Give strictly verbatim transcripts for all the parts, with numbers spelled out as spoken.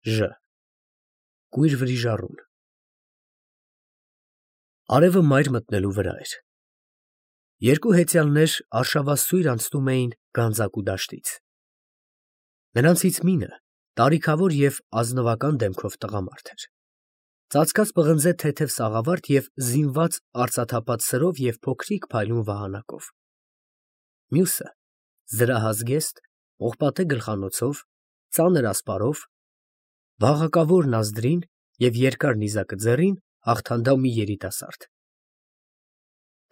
Ժ կույր վրիժառուն։ Արևը մայր մտնելու վրա էր։ Երկու հեծյալներ արշավասույր անցնում էին գանձակու դաշտից։ Նրանցից մինը տարիքավոր և ազնվական դեմքով տղամարդ էր, ծածկած պղնձե թեթև սաղավարտ և զինված արծաթափած սրով և փոքրիկ փայլուն վահանակով։ Մյուսը զրահազգեստ, պողպատե գլխանոցով, ծանր ասպարով, բաղակավոր նազդրին և երկար նիզակը ձեռին հաղթանդամ մի երիտասարդ։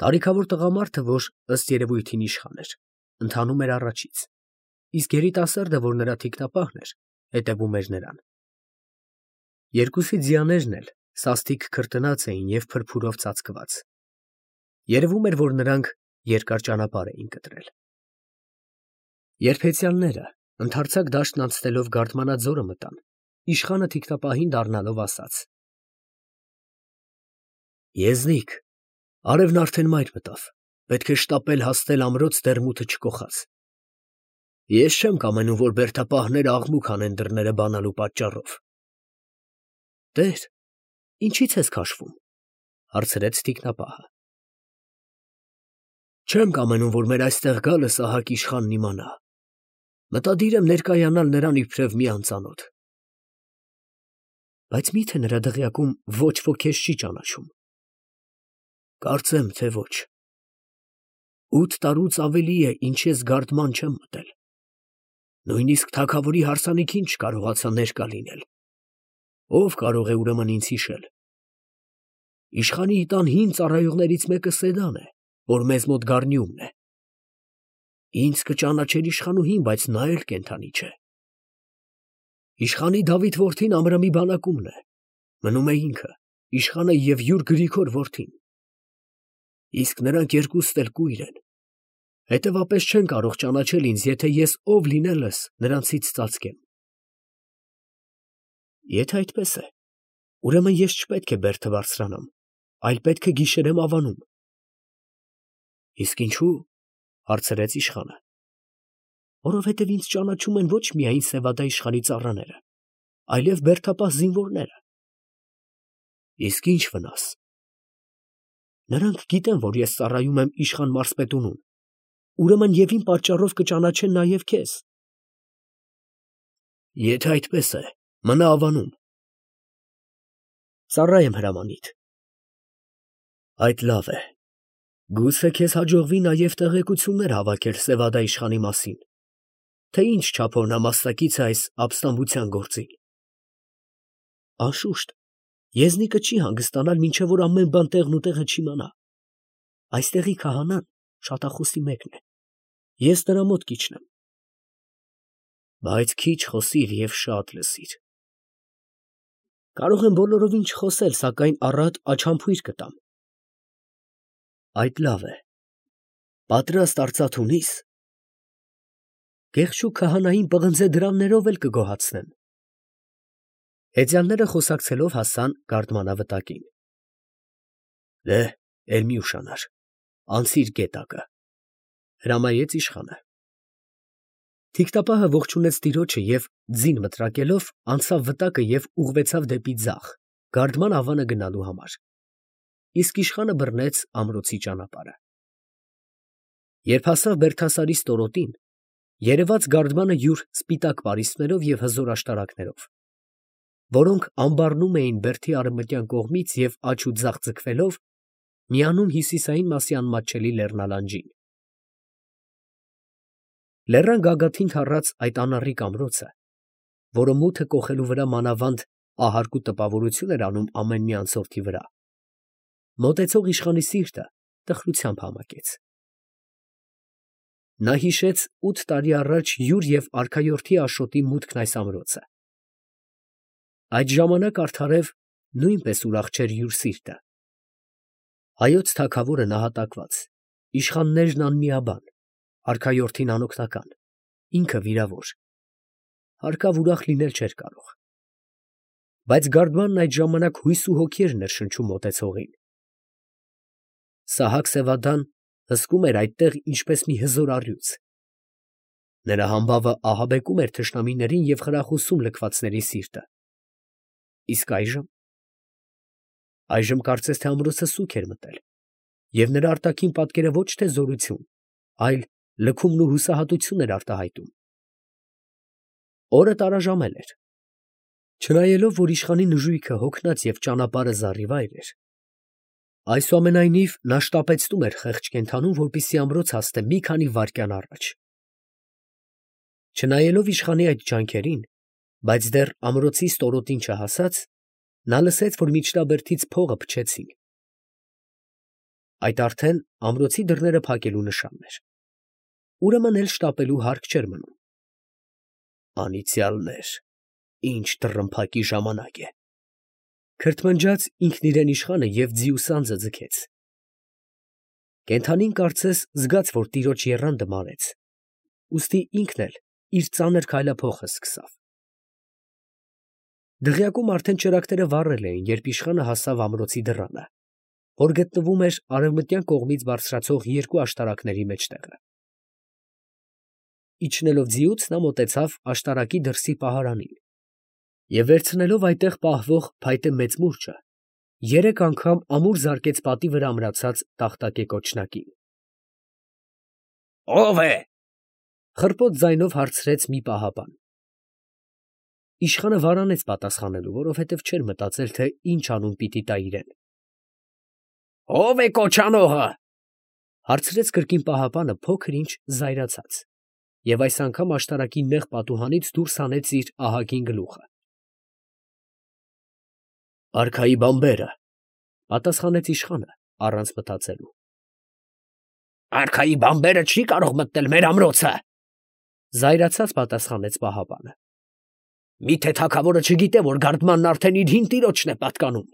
Տարիքավոր տղամարդը, որ ըստ երևույթին իշխան էր, ընթանում էր առաջից, իսկ երիտասարդը, որ նրա թիկնապահն էր, հետևում էր նրան։ Երկուսի ձիաներն էլ սաստիկ քրտնած էին և փրփուրով ծածկված։ Երևում էր, որ նրանք երկար ճանապարհ էին կտրել։ Երբ հեծյալները ընդարձակ դաշտն անցնելով Գարդմանաձորը մտան, իշխանը թիկնապահին դառնալով ասաց. «Եզնիկ, արևն արդեն մայր մտավ, պետք է շտապել հասնել ամրոց դեռ մութը չկոխած։ Ես չեմ կամենում, որ բերդապահները աղմուկ անեն դռները բանալու պատճառով»։ «Տեր, ինչի՞ց ես քաշվում», ֊ հարցրեց թիկնապահը։ «Չեմ կամենում, որ մեր այստեղ գալը Սահակ իշխանն իմանա. մտադիր եմ ներկայանալ նրան իբրև մի անծանոթ»։ «Բայց մի՞թե նրա դղյակում ոչ ոք քեզ չի ճանաչում»։ «Կարծեմ, թե ոչ։ Ութ տարուց ավելի է, ինչ ես Գարդման չեմ մտել, նույնիսկ թագավորի հարսանիքին չկարողացա ներկա լինել, ո՞վ կարող է ուրեմն ինձ հիշել։ Իշխանի տան հին ծառայողներից մեկը Սեդան է, որ մեզ մոտ Գառնիումն է։ Ինձ կճանաչեր իշխանուհին, բայց նա էլ կենդանի չէ։ Իշխանի Դավիթ որդին Ամրամի բանակումն է, մնում է ինքը, իշխանը և յուր Գրիգոր որդին։ Իսկ նրանք երկուստ էլ կույր են, հետևապես չեն կարող ճանաչել ինձ, եթե ես ով լինելս նրանցից ծածկեմ»։ «Եթե այդպես է, ուրեմն ես չպետք է բերդը բարձրանամ, այլ պետք է գիշերեմ Ավանում»։ «Իսկ ինչո՞ւ», ֊ հարցրեց իշխանը։ «Որովհետև ինձ ճանաչում են ոչ միայն Սևադա իշխանի ծառաները, այլև բերդապահ զինվորները»։ «Իսկ ի՞նչ վնաս»։ «Նրանք գիտեն, որ ես ծառայում եմ իշխան Մարսպետունուն, ուրեմն և իմ պատճառով կճանաչեն նաև քեզ»։ «Եթե այդպես է, մնա Ավանում»։ «Ծառա եմ հրամանիդ»։ «Այդ լավ է, գուցե քեզ հաջողվի նաև տեղեկություններ հավաքել Սևադա իշխանի մասին, թե ինչ չափով նա մասնակից է այս ապստամբության գործին»։ «Անշուշտ, եզնիկը չի հանգստանալ, մինչև որ ամեն բան տեղն ու տեղը չիմանա։ Այստեղի քահանան շատախոսի մեկն է, ես նրա մոտ կիջնեմ։ Բայց քիչ խոսիր և շատ լսիր»։ «Կարող եմ բոլորովին չխոսել, սակայն առատ աչանփույր կտամ»։ «Այդ լավ է, պատրաստ արծաթ ունի՞ս»։ «Գեղշու քահանային պղնձե դրամներով էլ կգոհացնեմ»։ Հեծյալները խոսակցելով հասան Գարդմանավտակին։ «Դե, էլ մի ուշանար, անցիր գետակը», ֊ հրամայեց իշխանը։ Թիկնապահը ողջունեց տիրոջը և ձին մտրակելով անցավ վտակը և ուղղվեցավ դեպի ձախ, Գարդման ավանը գնալու համար, իսկ իշխանը բռնեց ամրոցի ճանապարհը։ Երբ հասավ Բերդասարի ստորոտին, երևաց Գարդմանը յուր սպիտակ պարիսպներով և հզոր աշտարակներով, որոնք ամբառնում էին բերդի արևմտյան կողմից և աջ ու ձախ ձգվելով, միանում հյուսիսային մասի անմատչելի լեռնալանջին։ Լեռան գագաթին թառած այդ անառիկ ամրոցը, որը մութը կոխելու վրա մանավանդ ահարկու տպավորություն էր անում ամեն մի անցորդի վրա, մոտեցող իշխանի սիրտը տխրությամբ համակեց։ Նա հիշեց ութ տարի առաջ յուր և արքայորդի Աշոտի մուտքն այս ամրոցը։ Այդ ժամանակ արդարև նույնպես ուրախ չէր յուր սիրտը։ Հայոց թագավորը նահատակված, իշխաններն անմիաբան, արքայորդին անօգնական, ինքը վիրավոր, հարկավ ուրախ լինել չէր կարող։ Բայց Գարդմանն այդ ժամանակ հույս ու հոգի էր ներշնչում մոտեցողին։ Սահակ֊Սևադան հսկում էր այդտեղ ինչպես մի հզոր առյուծ։ Նրա համբավը ահաբեկում էր թշնամիներին և խրախուսում լքվածների սիրտը։ Իսկ այժմ։ Այժմ կարծես թե ամրոցը սուգ էր մտել, և նրա արտաքին պատկերը ոչ թե զորություն, այլ լքումն ու հուսահատություն էր արտահայտում։ Օրը տարաժամել էր։ Չնայելով, որ իշխանի նժույգը հոգնած և ճանապարհը զառիվայր էր, այսուամենայնիվ նա շտապեցնում էր խեղճ կենդանուն, որպեսզի ամրոց հասնե մի քանի վայրկյան առաջ։ Չնայելով իշխանի այդ ջանքերին, բայց դեռ ամրոցի ստորոտին չհասած, նա լսեց, որ միջնաբերդից փողը փչեցին։ Այդ արդեն ամրոցի դռները փակելու նշանն էր։ Ուրեմն էլ շտապելու հարկ չէր մնում։ Անիծյալներ, ինչ դռնփակի ժամանակ է, քրթմնջաց ինքն իրեն իշխանը և ձիուսանձը ձգեց։ Կենդանին կարծես զգաց, որ տիրոջ եռանդը մարեց, ուստի ինքն էլ իր ծանր քայլափոխը սկսավ։ Դղյակում արդեն ճրագները վառել էին, երբ իշխանը հասավ ամրոցի դռանը, որ գտնվում էր արևմտյան կողմից բարձրացող երկու աշտարակների մեջտեղը։ Իջնելով ձիուց, նա մոտեցավ աշտարակի դրսի պահարանին և վերցնելով այնտեղ պահվող փայտե մեծ մուրճը, երեք անգամ ամուր զարկեց պատի վրա ամրացած տախտակե կոչնակին։ «Ո՞վ է» խռպոտ ձայնով հարցրեց մի պահապան։ Իշխանը վարանեց պատասխանելու, որովհետև չէր մտածել, թե ինչ անուն պիտի տա իրեն։ «Ո՞վ է կոչանողը» հարցրեց կրկին պահապանը փոքր ինչ զայրացած, և այս անգամ աշտարակի նեղ պատուհանից դուրս հանեց իր ահագին գլուխը։ «Արքայի բանբերը», պատասխանեց իշխանը առանց մտածելու։ «Արքայի բանբերը չի կարող մտնել մեր ամրոցը», զայրացած պատասխանեց պահապանը։ «Մի՞թե թագավորը չգիտե, որ գարդմանն արդեն իր հին տիրոջն է պատկանում»։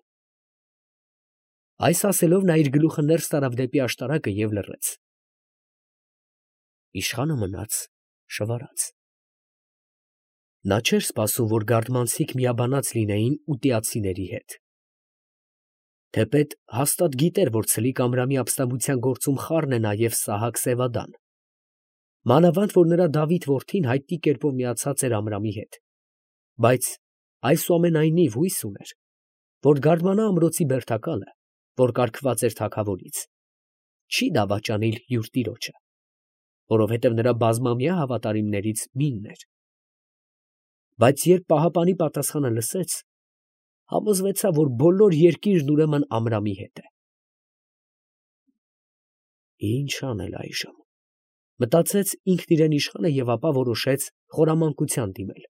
Այս ասելով նա իր գլուխը ներս տարավ դեպի աշտարակը և լռեց։ Իշխանը մնաց շվարած։ Նա չէր սպասում, որ գարդմանցիք միաբանած լինեին ուտիացիների հետ։ Թեպետ հաստատ գիտեր, որ ցլիկ Ամրամի ապստամբության գործում խառն է նաև Սահակ Սևադան, մանավանդ որ նրա Դավիթ որդին հայտնի կերպով միացած էր Ամրամի հետ, բայց այսուամենայնիվ հույս ուներ, որ գարդմանա ամրոցի բերդակալը, որ կարգված էր թագավորից, չի դավաճանիլ յուր տիրոջը, որովհետև նրա բազմամյա հավատարիմներից մինն էր։ Բայց երբ պահապանի պատասխանը լսեց, համոզվեցավ, որ բոլոր երկիրն ուրեմն Ամրամի հետ է։ Ինչ անել այժմ, մտածեց ինքն իրեն իշխանը և ապա որոշեց խորամանկության դիմել։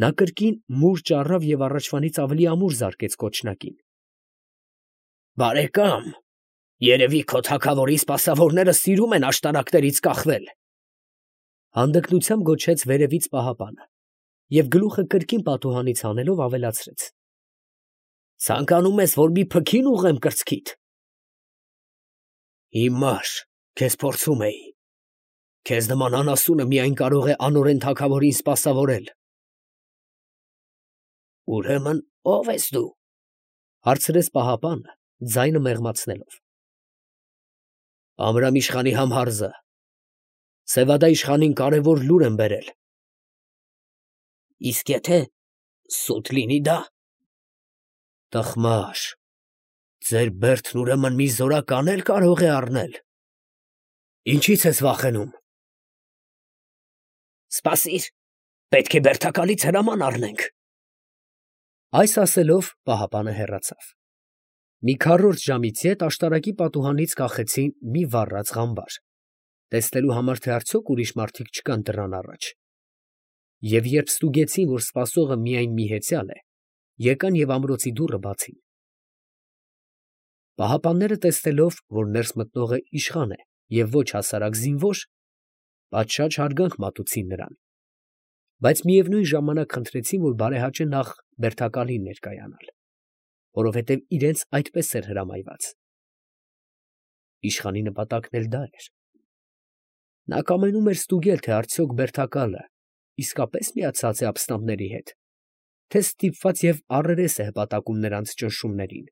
Նա կրկին մուրճ առավ և առաջվանից ավելի ամուր զարկեց կոչնակին։ «Բարեկամ, երևի քո թագավորի սպասավորները սիրում են աշտարակներից կախվել», հանդգնությամբ գոչեց վերևից պահապանը և գլուխը կրկին պատուհանից հանելով ավելացրեց. «Ցանկանում ես, որ մի փքին ուղղեմ կրծքիդ»։ Հիմար քեզ փորձում էի, քեզ նման անասունը միայն կարող է անօրեն թագավորին սպասավորել։ Ուրեմն ո՞վ ես դու, հարցրեց պահապանը, ձայնը մեղմացնելով։ Ամրամ իշխանի համհարզը, Սևադա իշխանին կարևոր լուր եմ բերել։ Իսկ եթե սուտ լինի դա։ Տխմար, ձեր բերդն ուրեմն մի զորական էլ կարող է առնել։ Ինչի՞ց ես վախենում։ Սպասիր, պետք է բերդակալից հրաման առնենք։ Այս ասելով պահապանը հեռացավ։ Մի քառորդ ժամից ետ աշտարակի պատուհանից կախեցին մի վառած ղամբար, տեսնելու համար, թե արդյոք ուրիշ մարդիկ չկան դռան առաջ, և երբ ստուգեցին, որ սպասողը միայն մի հեծյալ է, եկան և ամրոցի դուռը բացին։ Պահապանները տեսնելով, որ ներս մտնողը իշխան է և ոչ հասարակ զինվոր, պատշաճ հարգանք մատուցին նրան, բայց միևնույն ժամանակ խնդրեցին, որ բարեհաճե նախ բերդակալին ներկայանալ, որովհետև իրենց այդպես էր հրամայված։ Իշխանի նպատակն էլ դա էր։ Նա կամենում էր ստուգել, թե արդյոք բերդակալը իսկապես միացած է ապստամբների հետ, թե ստիպված և առերես է հպատակում նրանց ճնշումներին։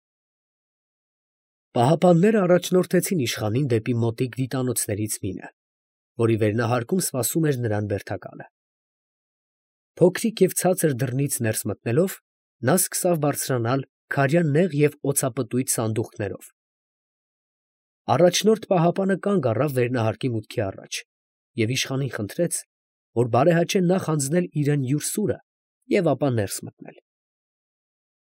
Պահապանները առաջնորդեցին իշխանին դեպի մոտիկ դիտանոցներից մինը, որի վերնահարկում սպասում էր նրան բերդակալը։ Փոքրիկ և ցածր դռնից ներս մտնելով, նա սկսավ բարձրանալ քարյան նեղ և օծապտույտ սանդուղքներով։ Առաջնորդ պահապանը կանգ առավ վերնահարկի մուտքի առաջ և իշխանին խնդրեց, որ բարեհաճե նախ հանձնել իրան յուր սուրը և ապա ներս մտնել։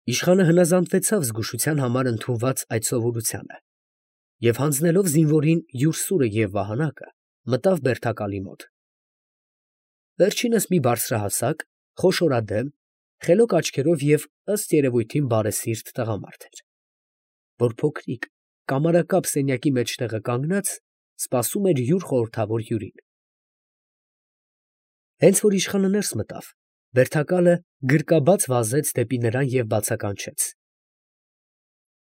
Իշխանը հնազանդվեցավ զգուշության համար ընդունված այդ սովորությանը և հանձնելով զինվորին յուր սուրը և վահանակը, մտավ բերդակալի մոտ։ Վերջինս մի բարձրահասակ, խոշորադեմ, խելոք աչքերով և ըստ երևույթին բարեսիրտ տղամարդ էր, որ փոքրիկ կամարակապ սենյակի մեջտեղը կանգնած սպասում էր յուր խորհրդավոր հյուրին։ Հենց որ իշխանը ներս մտավ, բերդակալը գրկաբաց վազեց դեպի նրան և բացականչեց.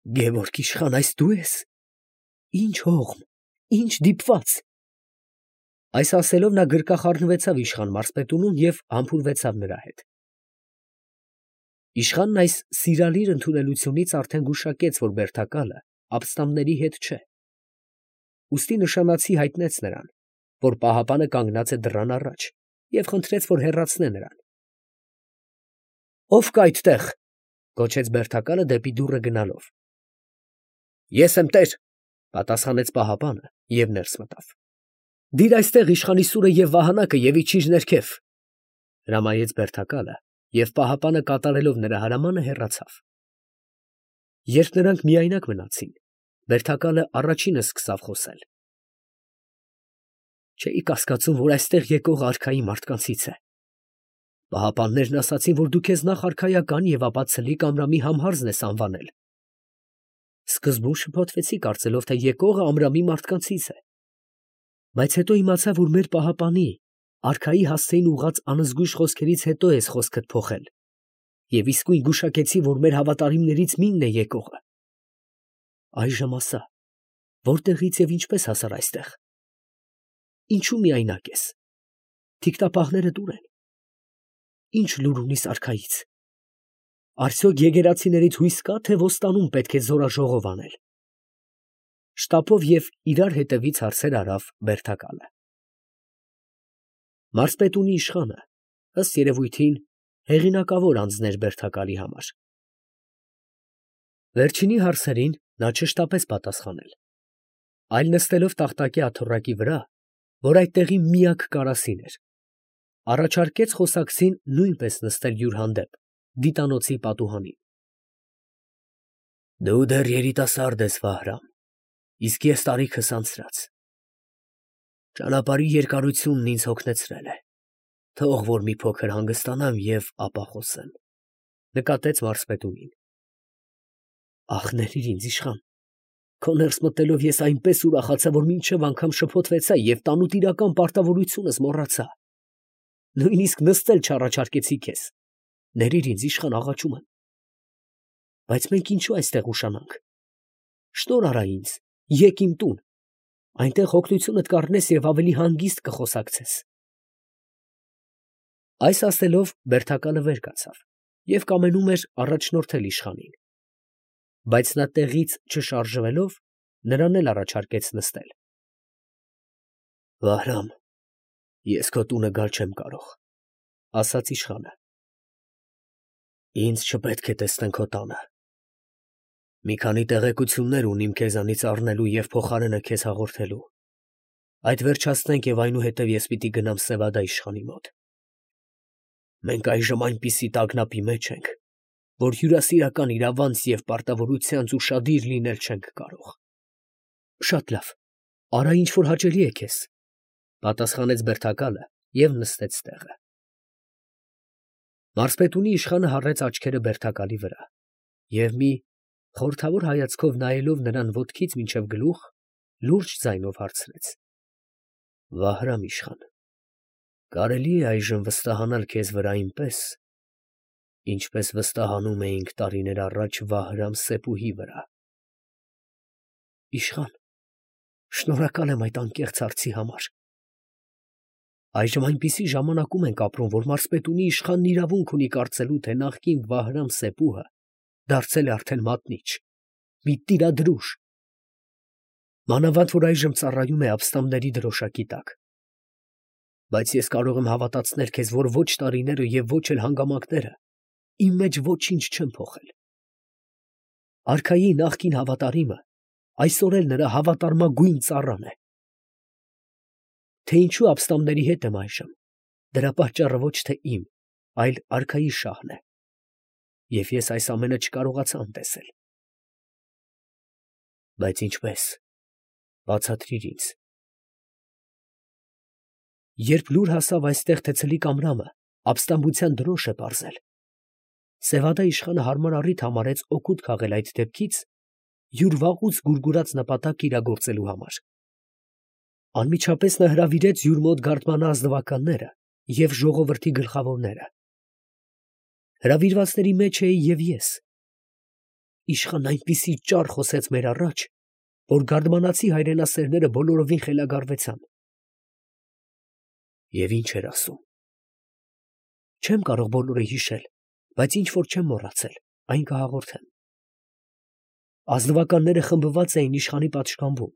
֊ Գևորգ իշխան, այս դու ե՞ս. ի՞նչ հողմ, ի՞նչ դիպված։ Այս ասելով նա գրկախառնվեցավ իշխան մարզպետունուն և համբուրվեցավ նրա հետ։ Իշխանն այս սիրալիր ընդունելությունից արդեն գուշակեց, որ բերդակալը ապստամբների հետ չէ, ուստի նշանացի հայտնեց նրան, որ պահապանը կանգնած է դռան առաջ, և խնդրեց, որ հեռացնե նրան։ ֊ Ո՞վ կա այդտեղ, ֊ գոչեց բերդակալը դեպի դուռը գնալով։ ֊ Ես եմ, տեր, ֊ պատասխանեց պահապանը և ներս մտավ։ ֊ Դիր այստեղ իշխանի սուրը և վահանակը և իջիր ներքև, ֊ հրամայեց բերդակալը և պահապանը կատարելով նրա հրամանը հեռացավ։ Երբ նրանք միայնակ մնացին, բերդակալը առաջինը սկսավ խոսել. ֊ Չէի կասկածում, որ այստեղ եկողը արքայի մարդկանցից է. պահապաններն ասացին, որ դու քեզ նախ արքայական և ապա ցլիկ Ամրամի համհարզն ես անվանել. սկզբում շփոթվեցի, կարծելով, թե եկողը Ամրամի մարդկանցից է, բայց հետո իմացա, որ մեր պահապանի, արքայի հասցեին ուղղած անզգույշ խոսքերից հետո ես խոսքդ փոխել և իսկույն գուշակեցի, որ մեր հավատարիմներից մինն է եկողը։ Այժմ ասա, որտեղից և ինչպես հասար այստեղ. ինչու միայնակ ես, թիկնապահներդ ո՞ւր են, ի՞նչ լուր ունիս արքայից, արդյոք եկեղեցիներից հույս կա, թե ոստանում պետք է զորաժողով անել։ Շտապով և իրար հետևից հարցեր արավ բերդակալը։ Մարզպետունի իշխանը, ըստ երևույթին, հեղինակավոր անձն էր բերդակալի համար։ Վերջինի հարցերին նա չշտապեց պատասխանել, այլ նստելով տախտակի աթոռակի վրա, որ այդ տեղի միակ կարասին էր, առաջարկեց խոսակցին նույնպես նստել յուր հանդեպ, դիտանոցի պատուհանին։ ֊ Դու դեռ երիտասարդ ես, Վահրամ, իսկ ես տարիքս անցրած. ճանապարհի երկարությունն ինձ հոգնեցրել է, թող որ մի փոքր հանգստանամ և ապա խոսեմ, ֊ նկատեց մարզպետունին։ ֊ Ախ, ներիր ինձ, իշխան, քո ներս մտնելով ես այնպես ուրախացա, որ մինչև անգամ շփոթվեցա և տանուտիրական պարտավորությունս մոռացա. նույնիսկ նստել չառաջարկեցի քեզ, ներիր ինձ, իշխան, աղաչում եմ։ Բայց մենք ինչո՞ւ այստեղ ուշանանք. շնորհ արա ինձ, եկ իմ տուն, այնտեղ օգնությունդ կառնես և ավելի հանգիստ կխոսակցես։ Այս ասելով բերդակալը վեր կացավ և կամենում էր առաջնորդել իշխանին, բայց նա տեղից չշարժվելով, նրան էլ առաջարկեց նստել։ ֊ Վահրամ, ես քո տունը գալ չեմ կարող, ֊ ասաց իշխանը։ Ինձ չպետք է տեսնեն քո տանը. մի քանի տեղեկություններ ունիմ քեզանից առնելու և փոխարենը քեզ հաղորդելու, այդ վերջացնենք և այնուհետև ես պիտի գնամ Սևադա իշխանի մոտ։ Մենք այժմ այնպիսի տագնապի մեջ ենք, որ հյուրասիրական իրավանց և պարտավորությանց ուշադիր լինել չենք կարող։ ֊ Շատ լավ, արա, ինչ որ հաճելի է քեզ, ֊ պատասխանեց բերդակալը և նստեց տեղը։ Մարզպետունի իշխանը հառեց աչքերը բերդակալի վրա և մի խորհրդավոր հայացքով նայելով նրան ոտքից մինչև գլուխ, լուրջ ձայնով հարցրեց. ֊ Վահրամ իշխան, կարելի է այժմ վստահանալ քեզ վրա այնպես, ինչպես վստահանում էինք տարիներ առաջ Վահրամ Սեպուհի վրա։ ֊ Իշխան, շնորհակալ եմ այդ անկեղծ հարցի համար։ Այժմ այնպիսի ժամանակում ենք ապրում, որ մարզպետունի իշխանն իրավունք ունի կարծելու, թե նախկին Վահրամ Սեպուհը դարձել է արդեն մատնիչ, մի տիրադրուժ, մանավանդ որ այժմ ծառայում է ապստամբների դրոշակի տակ։ Բայց ես կարող եմ հավատացնել քեզ, որ ոչ տարիները և ոչ էլ հանգամանքները իմ մեջ ոչինչ չեմ փոխել։ Արքայի նախկին հավատարիմը այսօր էլ նրա հավատարմագույն ծառան է։ Թե ինչու ապստամբների հետ եմ այժմ, դրա պատճառը ոչ թե իմ, այլ արքայի շահն է, և ես այս ամենը չկարողացա անտեսել։ Բայց ինչպես, բացատրիր ինձ։ Երբ լուր հասավ այստեղ, թե ցլիկ Ամրամը ապստամբության դրոշ է պարզել, Սևադա իշխանը հարմար առիթ համարեց օգուտ քաղել այդ դեպքից յուր վաղուց գուրգուրած նպատակ իրագործելու համար։ Անմիջապես նա հրավիրեց յուր մոտ գարդմանա ազնվականները և ժողովրդի գլխավորները։ Հրավիրվածների մեջ էի և ես։ Իշխանն այնպիսի ճառ խոսեց մեր առաջ, որ գարդմանացի հայրենասերները բոլորովին խելագարվեցան։ Եվ ինչ էր ասում։ Չեմ կարող բոլորը հիշել, բայց ինչ որ չեմ մոռացել, այն կհաղորդեմ։ Ազնվականները խմբված էին իշխանի պատշգամբում,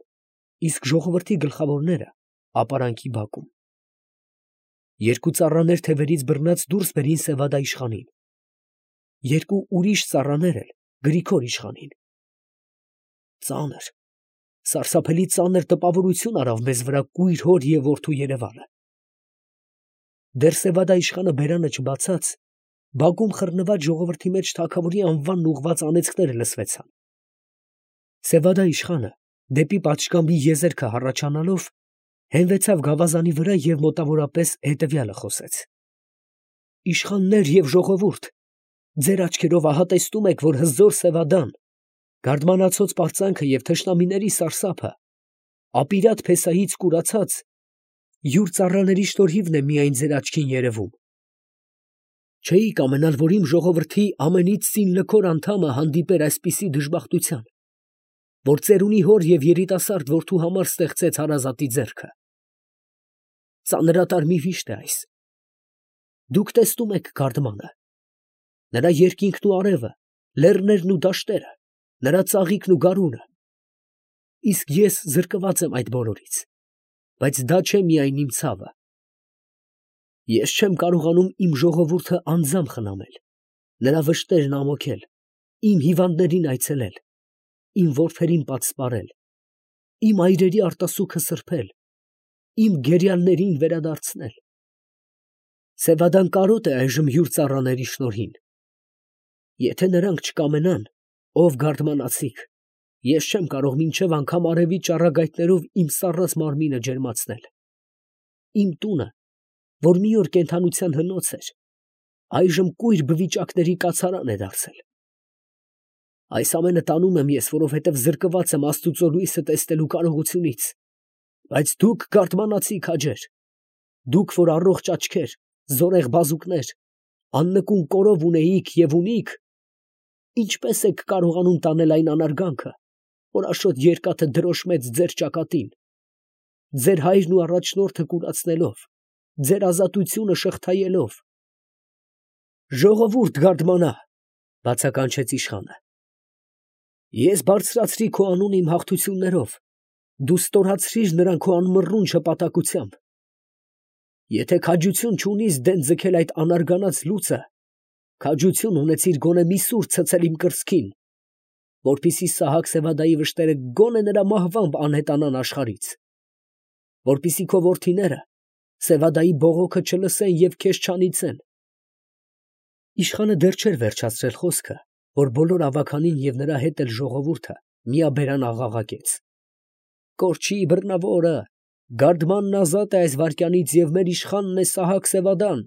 իսկ ժողովրդի գլխավորները ապարանքի բակում։ Երկու ծառաներ թևերից բռնած դուրս բերին Սևադա իշխանին։ Երկու ուրիշ ծառաներ էլ Գրիգոր իշխանին։ Ծանր, սարսափելի ծանր տպավորություն արավ մեզ վրա կույր հոր և որդու երևանը։ Դեռ Սևադա իշխանը բերանը չբացած, բակում խռնված ժողովրդի մեջ թագավորի անվանն ուղղված անեծքները լսվեցան։ Սևադա իշխանը, դեպի պատշգամբի եզերքը հառաչանալով, հենվեցավ գավազանի վրա և մոտավորապես հետևյալը խոսեց. «Իշխաններ և ժողովուրդ, ձեր աչքերով ահա տեսնում եք, որ հզոր Սևադան, գարդմանացոց պարծանքը և թշնամիների սարսափը, ապիրատ փեսայից կուրացած, յուր ծառաների շնորհիվն է միայն ձեր աչքին երևում։ Չէիք կամենալ, որ իմ ժողովրդի ամենից ծին լքոր անդամը հանդիպեր այսպիսի դժբախտության, որ ծերունի հոր և երիտասարդ որդու համար ստեղծեց հարազատի ձեռքը։ Ծանրատար մի վիշտ է այս։ Դուք տեսնում եք գարդմանը, նրա երկինքն ու արևը, լեռներն ու դաշտերը, նրա ծաղիկն ու գարունը։ Իսկ ես զրկված եմ այդ բոլորից, բայց դա չէ միայն իմ ցավը։ Ես չեմ կարողանում իմ ժողովուրդը անձամբ խնամել, նրա վշտերն ամոքել, իմ հիվանդներին այցելել, իմ որդերին պատսպարել, իմ այրերի արտասուքը սրբել, իմ գերիալներին վերադարձնել։ Սևադան կարոտ է այժմ յուր ծառաների շնորհին։ Եթե նրանք չկամենան, ով գարդմանացիք, ես չեմ կարող մինչև անգամ արևի ճառագայթներով իմ սառած մարմինը ջերմացնել։ Իմ տունը, որ մի օր կենդանության հնոց էր, այժմ կույր բվիճակների կացարան է դարձել։ Այս ամենը տանում եմ ես, որովհետև զրկված եմ աստուծո լույսը տեսնելու կարողությունից։ Բայց դուք գարդմանացի քաջեր, դուք, որ առողջ աչքեր, զորեղ բազուկներ, աննկուն կորով ունեիք և ունիք, ինչպե՞ս եք կարողանում տանել այն անարգանքը, որ աշոտ երկաթը դրոշմեց ձեր ճակատին, ձեր հայրն ու առաջնորդը կուրացնելով, ձեր ազատությունը շղթայելով։ Ժողովուրդ գարդմանա, բացականչեց իշխանը։ Ես բարձրացրի քո անունը իմ հաղթություններով, դու ստորացրիր նրան քո անմռունչ հպատակությամբ։ Եթե քաջություն չունիս դեն ձգել այդ անարգանած լուծը, քաջություն ունեցիր գոնե մի սուր ցցել իմ կրծքին, որպեսզի Սահակ Սևադայի վշտերը գոնե նրա մահվամբ անհետանան աշխարհից, որպեսզի քո որդիները Սևադայի բողոքը չլսեն և քեզ չանիծեն։ Իշխանը դեռ չէր վերջացրել խոսքը, որ բոլոր ավագանին և նրա հետ էլ ժողովուրդը միաբերան աղաղակեց. «Կորչի բռնավորը, գարդմանն ազատ է այս վայրկյանից և մեր իշխանն է Սահակ Սևադան»։